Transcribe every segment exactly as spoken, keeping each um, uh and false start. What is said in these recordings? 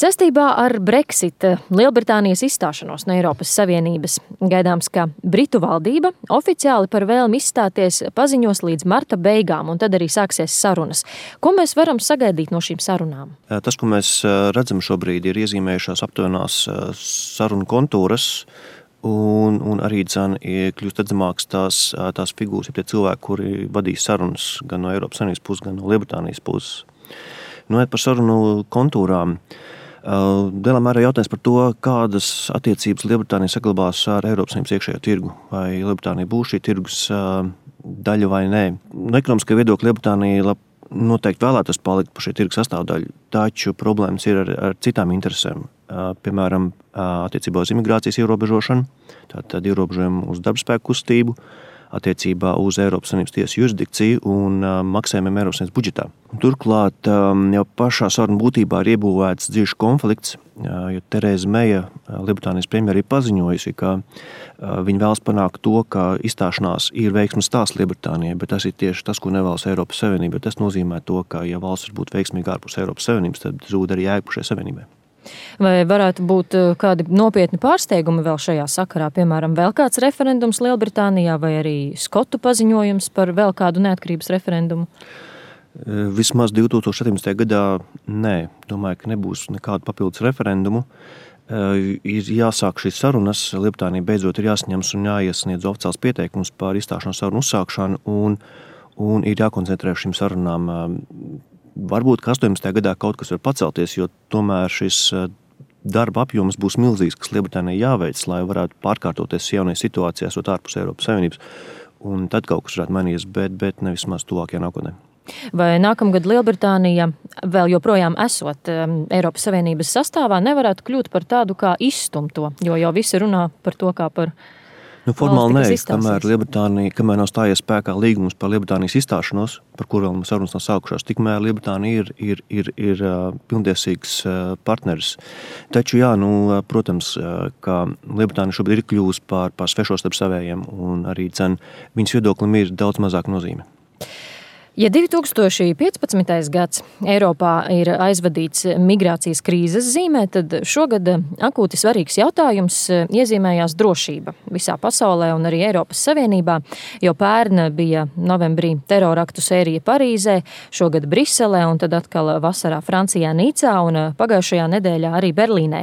Saistībā ar Brexit, Lielbritānijas izstāšanos no Eiropas Savienības, gaidāms, ka Britu valdība oficiāli par vēlmi izstāties paziņos līdz marta beigām, un tad arī sāksies sarunas. Ko mēs varam sagaidīt no šīm sarunām? Tas, ko mēs redzam šobrīd, ir iezīmējušās aptuvenās sarunu kontūras, un, un arī dzen, kļūst redzamāks tās, tās figūras, ja tie cilvēki, kuri vadīs sarunas gan no Eiropas Savienības puses, gan no Lielbritānijas puses. Nu, par sarunu kontūrām. Lielā mērā jautājums par to, kādas attiecības Lielbritānija saglabās ar Eiropas Savienības iekšējo tirgu. Vai Lielbritānija būs šī tirgus daļa vai nē. No ekonomiskā viedokļa Lielbritānija noteikti vēlētos palikt par šī tirgus sastāvdaļu, taču problēmas ir ar, ar citām interesēm. Piemēram, attiecībā uz imigrācijas ierobežošanu, tātad ierobežojumu uz darbspēku kustību, attiecībā uz Eiropas Savienības tiesas jurisdikciju un uh, maksājumiem Eiropas Savienības budžetā. Turklāt um, jau pašā sarunu būtībā ir iebūvēts dziļš konflikts, uh, jo Tereza Meja, uh, Lielbritānijas premjera, ir paziņojusi, ka uh, viņa vēlas panākt to, ka izstāšanās ir veiksmes stāsts Lielbritānijai, bet tas ir tieši tas, ko nevēlas Eiropas Savienība. Tas nozīmē to, ka ja valsts var būt veiksmīga ārpus Eiropas Savienības, tad zūd arī jēga šai Savienībai. Vai varētu būt kādi nopietni pārsteigumi vēl šajā sakarā, piemēram, vēl kāds referendums Lielbritānijā vai arī skotu paziņojums par vēl kādu neatkarības referendumu? Vismaz divtūkstoš septiņpadsmitajā gadā nē, domāju, ka nebūs nekādu papildus referendumu. Ir jāsāk šīs sarunas, Lielbritānija beidzot ir jāsaņems un jāiesniedz oficiāls pieteikums par izstāšanās sarunu uzsākšanu un, un ir jākoncentrē šīm sarunām. Varbūt, ka astoņpadsmitajā gadā kaut kas var pacelties, jo tomēr šis darba apjoms būs milzīgs, kas Lielbritānijai jāveic, lai varētu pārkārtoties jaunajā situācijā, esot ārpus Eiropas Savienības. Un tad kaut kas varētu mainīties, bet, bet nevis maz tuvākajā nākotnē. Vai nākamgad Lielbritānija, vēl joprojām esot Eiropas Savienības sastāvā, nevarētu kļūt par tādu kā izstumto, jo jau visi runā par to kā par Nu, formāli nē, kamēr Lielbritānija, kamēr nav stājies spēkā līgums par Lielbritānijas izstāšanos, par kur vēl sarunas nav sākušās, tikmēr Lielbritānija ir, ir, ir, ir pilntiesīgs partneris. Taču, jā, nu, protams, ka Lielbritānija šobrīd ir kļūst par, par svešo starp savējiem, un arī dzen, viņas viedoklim ir daudz mazāk nozīme. Ja divi tūkstoši piecpadsmitais gads Eiropā ir aizvadīts migrācijas krīzes zīmē, tad šogad akūti svarīgs jautājums iezīmējās drošība visā pasaulē un arī Eiropas Savienībā, jo pērn bija novembrī teroraktu sērija Parīzē, šogad Briselē un tad atkal vasarā Francijā Nicā un pagājušajā nedēļā arī Berlīnē.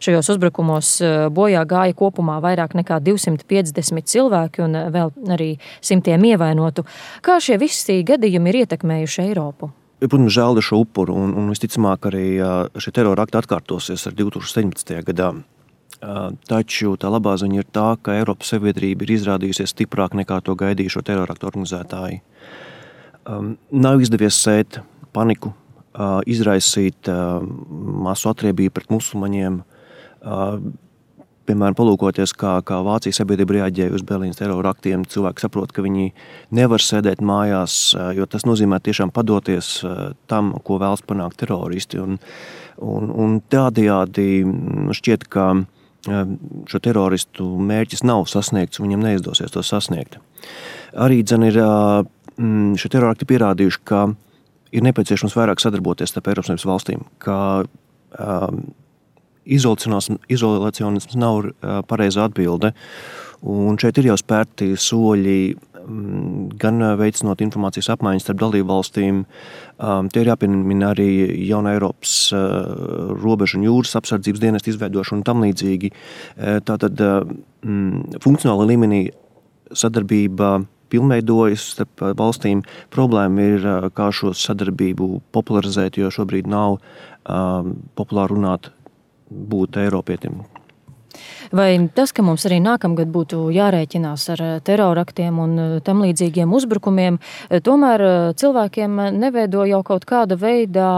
Šajos uzbrukumos bojā gāja kopumā vairāk nekā divsimt piecdesmit cilvēki un vēl arī simtiem ievainotu. Kā šie visi gadi ir ietekmējuši Eiropu? Protams, žēl ir šo upuru, un, un visticamāk arī šie terora akti atkārtosies ar divtūkstoš septiņpadsmitajā gadā. Taču tā labā ziņa ir tā, ka Eiropas sabiedrība ir izrādījusies stiprāk nekā to gaidīja šo terora aktu organizētāji. Nav izdevies sēt paniku, izraisīt masu atriebību pret musulmaņiem, piemēram, palūkoties, kā, kā Vācijas sabiedrība reaģēja uz Berlīnas terora aktiem, cilvēki saprot, ka viņi nevar sēdēt mājās, jo tas nozīmē tiešām padoties tam, ko vēlas panākt teroristi. Un, un, un tādējādi šķiet, ka šo teroristu mērķis nav sasniegts, viņam neizdosies to sasniegt. Arī dzen ir šo terora akti pierādījuši, ka ir nepieciešams vairāk sadarboties starp Eiropas Savienības valstīm, ka Izolacionisms nav pareizā atbilde, un šeit ir jau spērti soļi gan veicinot informācijas apmaiņas starp dalību valstīm. Tie ir jāpiemina arī jauna Eiropas robežu un jūras apsardzības dienesta izveidošana un tam līdzīgi. Tātad funkcionāla līmenī sadarbība pilnveidojas starp valstīm. Problēma ir, kā šo sadarbību popularizēt, jo šobrīd nav populāri runāt būt Eiropietim. Vai tas, ka mums arī nākamgad būtu jārēķinās ar teroraktiem un tam līdzīgiem uzbrukumiem, tomēr cilvēkiem neveido jau kaut kāda veidā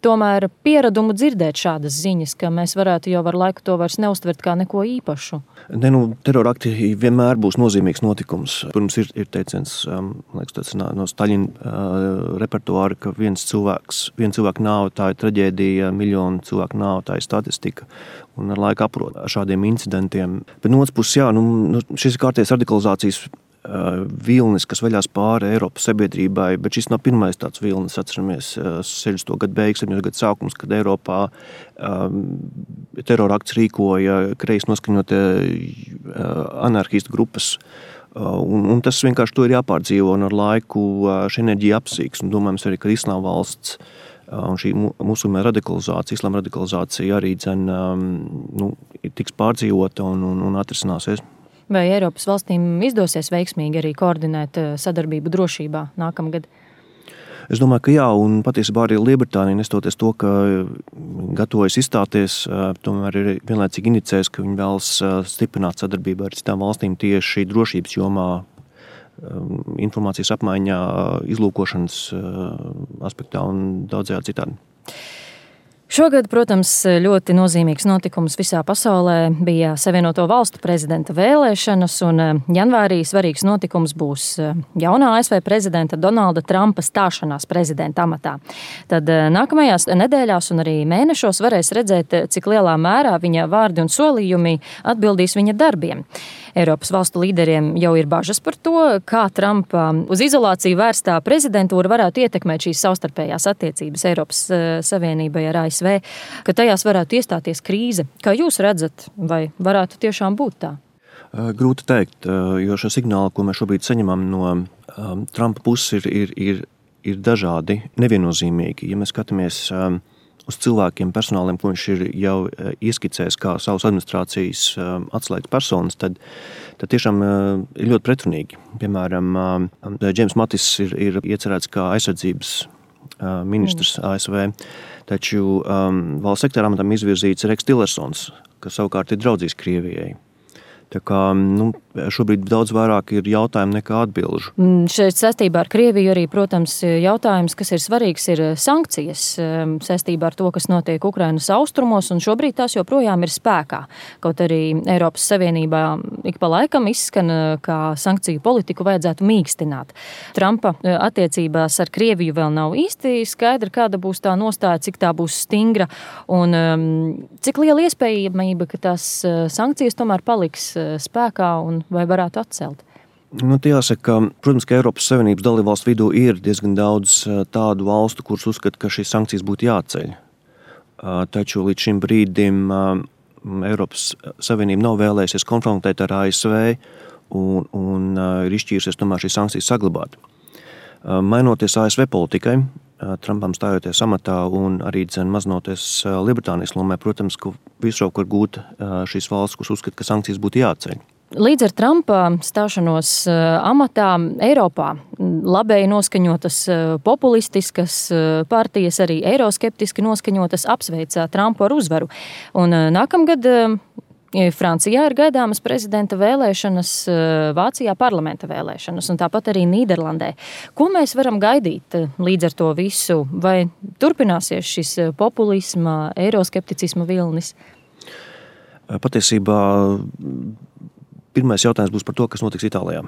tomēr pieradumu dzirdēt šādas ziņas, ka mēs varētu jau ar laiku to vairs neuztvert kā neko īpašu? Ne, nu, terorakti vienmēr būs nozīmīgs notikums. Pirms ir, ir teiciens, um, liekas, tāds no Staļina uh, repertuāra, ka viens cilvēks, viens cilvēku nāve tā ir traģēdija, miljonu cilvēku nāve tā ir statistika. Un ar laiku aprot šādiem incidentiem. Bet no otras puses, jā, nu, šis ir kārtējs radikalizācijas vilnis, kas veļās pāri Eiropas sabiedrībai, bet šis nav pirmais tāds vilnis, atceramies sešdesmito gadu beigas, septiņdesmito gadu sākums, kad Eiropā um, terorakts rīkoja kreisi noskaņotie uh, anarchistu grupas, uh, un, un tas vienkārši to ir jāpārdzīvo, un ar laiku uh, šī enerģija apsīks, un domājams arī, ka Islāma valsts uh, un šī musulmaņu radikalizācija, islāma radikalizācija arī dzen, um, nu, tiks pārdzīvota un, un, un atrisināsies. Vai Eiropas valstīm izdosies veiksmīgi arī koordinēt sadarbību drošībā nākamgad? Es domāju, ka jā, un patiesībā arī Lielbritānija, nestoties to, ka gatavojas izstāties, tomēr ir vienlaicīgi inicējis, ka viņi vēlas stiprināt sadarbību ar citām valstīm tieši drošības jomā, informācijas apmaiņā, izlūkošanas aspektā un daudzajā citādi. Šogad, protams, ļoti nozīmīgs notikums visā pasaulē bija Savienoto Valstu prezidenta vēlēšanas, un janvārī svarīgs notikums būs jaunā A S V prezidenta Donalda Trumpa stāšanās prezidenta amatā. Tad nākamajās nedēļās un arī mēnešos varēs redzēt, cik lielā mērā viņa vārdi un solījumi atbildīs viņa darbiem. Eiropas valstu līderiem jau ir bažas par to, kā Trumpa uz izolāciju vērstā prezidentūra varētu ietekmēt šīs savstarpējās attiecības Eiropas Savienībai ar A S V, ka tajās varētu iestāties krīze. Kā jūs redzat, vai varētu tiešām būt tā? Grūti teikt, jo šo signālu, ko mēs šobrīd saņemam no um, Trumpa puses, ir, ir, ir, ir dažādi, neviennozīmīgi. Ja mēs skatāmies um, uz cilvēkiem, personāliem, ko viņš ir jau ieskicējis kā savas administrācijas atslēgas personas, tad, tad tiešām ir ļoti pretrunīgi. Piemēram, Džeims Matis ir, ir iecerēts kā aizsardzības ministrs A S V, taču um, valsts sekretārā amatam izvirzīts Reks Tillersons, kas savukārt ir draudzīgs Krievijai. Tā kā nu, šobrīd daudz vairāk ir jautājumu nekā atbilžu. Šeit saistībā ar Krieviju arī, protams, jautājums, kas ir svarīgs, ir sankcijas saistībā ar to, kas notiek Ukrainas austrumos, un šobrīd tās joprojām ir spēkā. Kaut arī Eiropas Savienībā ik pa laikam izskan, kā sankciju politiku vajadzētu mīkstināt. Trumpa attiecībās ar Krieviju vēl nav īsti skaidra, kāda būs tā nostāja, cik tā būs stingra, un cik liela iespējamība, ka tās sankcijas tomēr paliks spēkā un vai varētu atcelt? Nu, jāsaka, protams, ka Eiropas Savienības dalībvalstu vidū ir diezgan daudz tādu valstu, kuras uzskata, ka šīs sankcijas būtu jāceļ. Taču līdz šim brīdim Eiropas Savienība nav vēlējusies konfrontēt ar A S V un, un ir izšķīrusies tomēr šīs sankcijas saglabāt. Mainoties A S V politikai, Trumpam stājoties amatā un arī dzen mazinoties Lielbritānijas lomē, protams, ka visroku var gūt šīs valsts, kuras uzskata, ka sankcijas būtu jāceļ. Līdz ar Trumpa stāšanos amatā Eiropā labēji noskaņotas populistiskas partijas, arī eiroskeptiski noskaņotas apsveica Trumpu ar uzvaru. Un nākamgad Francijā ir gaidāmas prezidenta vēlēšanas, Vācijā parlamenta vēlēšanas un tāpat arī Nīderlandē. Ko mēs varam gaidīt līdz ar to visu? Vai turpināsies šis populisma, eiroskepticisma vilnis? Patiesībā pirmais jautājums būs par to, kas notiks Itālijā.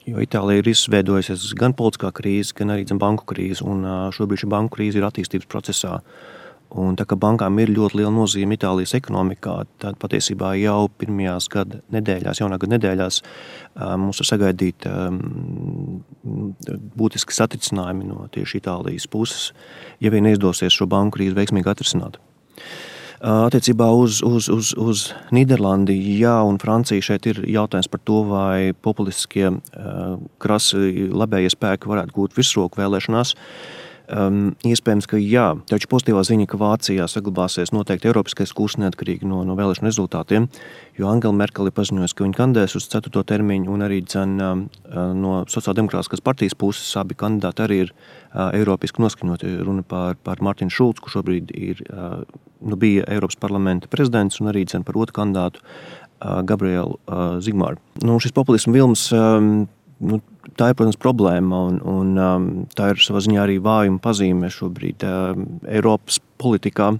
Jo Itālija ir izveidojusies gan politiskā krīze, gan arī banku krīze, un šobrīd šī banku krīze ir attīstības procesā. Un tā kā bankām ir ļoti liela nozīme Itālijas ekonomikā, tad patiesībā jau pirmajās gada nedēļās, jaunā gada nedēļās mums var sagaidīt būtiski satricinājumi no tieši Itālijas puses, ja vien neizdosies šo banku krīzi veiksmīgi atrisināt. Attiecībā uz, uz, uz, uz Nīderlandi, jā, un Francija šeit ir jautājums par to, vai populistiskie krasi labējie spēki varētu gūt virsroku vēlēšanās. Um, iespējams, ka jā, taču pozitīvā ziņa, ka Vācijā saglabāsies noteikti eiropiskais kurs neatkarīgi no, no vēlēšanu rezultātiem, jo Angela Merkel ir paziņojusi, ka viņa kandidēs uz ceturto termiņu, un arī dzen, no sociāldemokrātiskās partijas puses abi kandidāti arī ir uh, eiropiski noskaņoti. Runa par, par Martinu Šulcu, kurš šobrīd ir, uh, nu, bija Eiropas parlamenta prezidents, un arī dzen, par otru kandidātu uh, Gabrielu uh, Zigmāru. Nu, šis populismu vilms um, Nu, tā ir, protams, problēma, un, un um, tā ir savā ziņā arī vājuma pazīme šobrīd um, Eiropas politikā.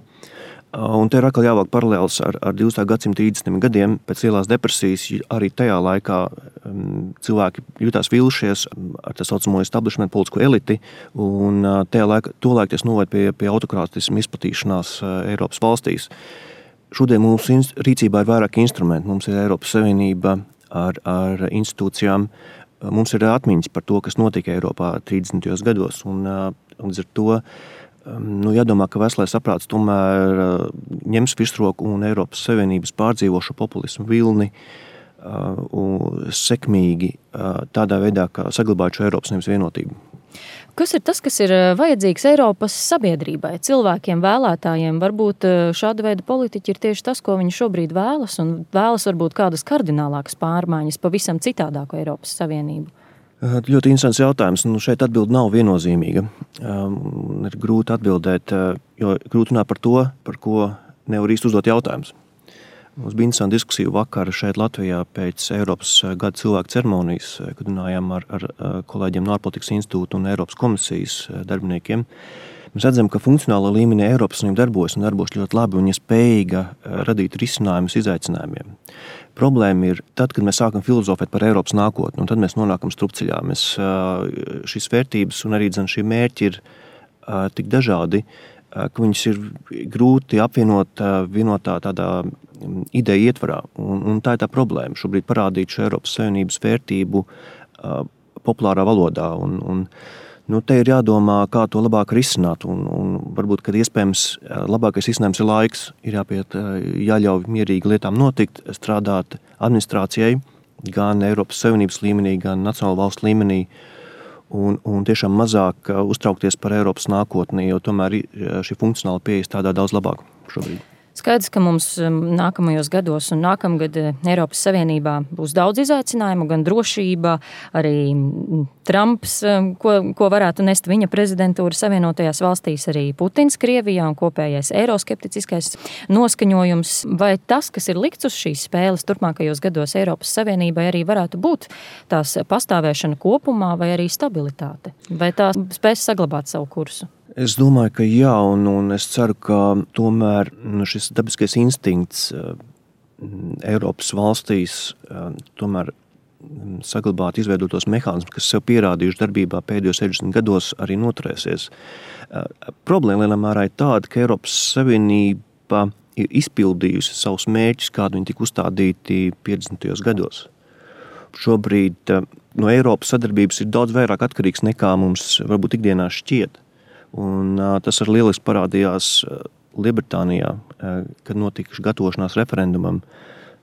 Uh, un te ir atkal jāvāk paralēls ar, ar divdesmitā gadsimta trīsdesmitajiem gadiem. Pēc lielās depresijas arī tajā laikā um, cilvēki jutās vilšies ar tā saucamo establishment politisko eliti, un uh, tajā laikā, to laiku tas noved pie, pie autokrātismu izplatīšanās uh, Eiropas valstīs. Šodien mums rīcībā ir vairāk instrumenti. Mums ir Eiropas Savienība ar, ar institūcijām, mums ir atmiņas par to, kas notika Eiropā trīsdesmitajos gados. Un, līdz ar to nu, jādomā, ka veselais saprāts tomēr ņems virsroku un Eiropas Savienības pārdzīvošu populismu vilni un sekmīgi tādā veidā, kā saglabāt šo Eiropas Savienības vienotību. Kas ir tas, kas ir vajadzīgs Eiropas sabiedrībai, cilvēkiem, vēlētājiem? Varbūt šāda veida politiķi ir tieši tas, ko viņi šobrīd vēlas, un vēlas varbūt kādas kardinālākas pārmaiņas, pavisam citādāku Eiropas Savienību. Ļoti interesants jautājums. Nu, šeit atbilde nav viennozīmīga. Um, ir grūti atbildēt, jo grūti runāt par to, par ko nevar īsti uzdot jautājums. Mums bija interesanta diskusija vakar šeit Latvijā pēc Eiropas gada cilvēku ceremonijas, kad runājām ar, ar kolēģiem no ārpolitikas institūta un Eiropas komisijas darbiniekiem. Mēs redzam, ka funkcionālā līmenī Eiropas Savienība darbojas un darbojas ļoti labi un ir spējīga radīt risinājumus izaicinājumiem. Problēma ir tad, kad mēs sākam filozofēt par Eiropas nākotni, un tad mēs nonākam strupceļā. Mēs, šīs vērtības un arī šie mērķi ir tik dažādi, ka viņus ir grūti apvienot vienotā tādā ideja ietvarā. Un, un tā ir tā problēma. Šobrīd parādīt šo Eiropas Savienības vērtību uh, populārā valodā. Un, un, nu, te ir jādomā, kā to labāk risināt. Un, un varbūt, kad iespējams labākais risinājums ir laiks, ir jāpiet, jāļauj mierīgi lietām notikt, strādāt administrācijai, gan Eiropas Savienības līmenī, gan nacionāla valsts līmenī. Un, un tiešām mazāk uztraukties par Eiropas nākotni, jo tomēr šī funkcionāla pieeja strādā daudz labāk šobrīd. Skaidrs, ka mums nākamajos gados un nākamgad Eiropas Savienībā būs daudz izaicinājumu, gan drošība, arī Trumps, ko, ko varētu nest viņa prezidentūra Savienotajās valstīs, arī Putins Krievijā un kopējais eiroskepticiskais noskaņojums. Vai tas, kas ir likts uz šīs spēles turpmākajos gados Eiropas Savienībai, arī varētu būt tās pastāvēšana kopumā vai arī stabilitāte? Vai tā spēs saglabāt savu kursu? Es domāju, ka jā, un, un es ceru, ka tomēr šis dabiskais instinkts Eiropas valstīs tomēr saglabāt izveidotos mehānismus, kas sev pierādījuši darbībā pēdējos sešdesmit gados, arī noturēsies. Problēma lielā mērā ir tāda, ka Eiropas Savienība ir izpildījusi savus mērķus, kādi viņi tika uzstādīti piecdesmitajos gados. Šobrīd no Eiropas sadarbības ir daudz vairāk atkarīgs nekā mums varbūt ikdienā šķiet. Un uh, tas arī lieliski parādījās uh, Lielbritānijā, uh, kad notika gatavošanās referendumam.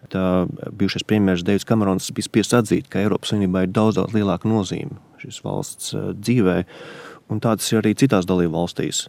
Tā bijušais premjeras Deivids Kamerons bija spiests atzīt, ka Eiropas Savienībā ir daudz, daudz lielāka nozīme šīs valsts uh, dzīvē, un tāds ir arī citās dalību valstīs.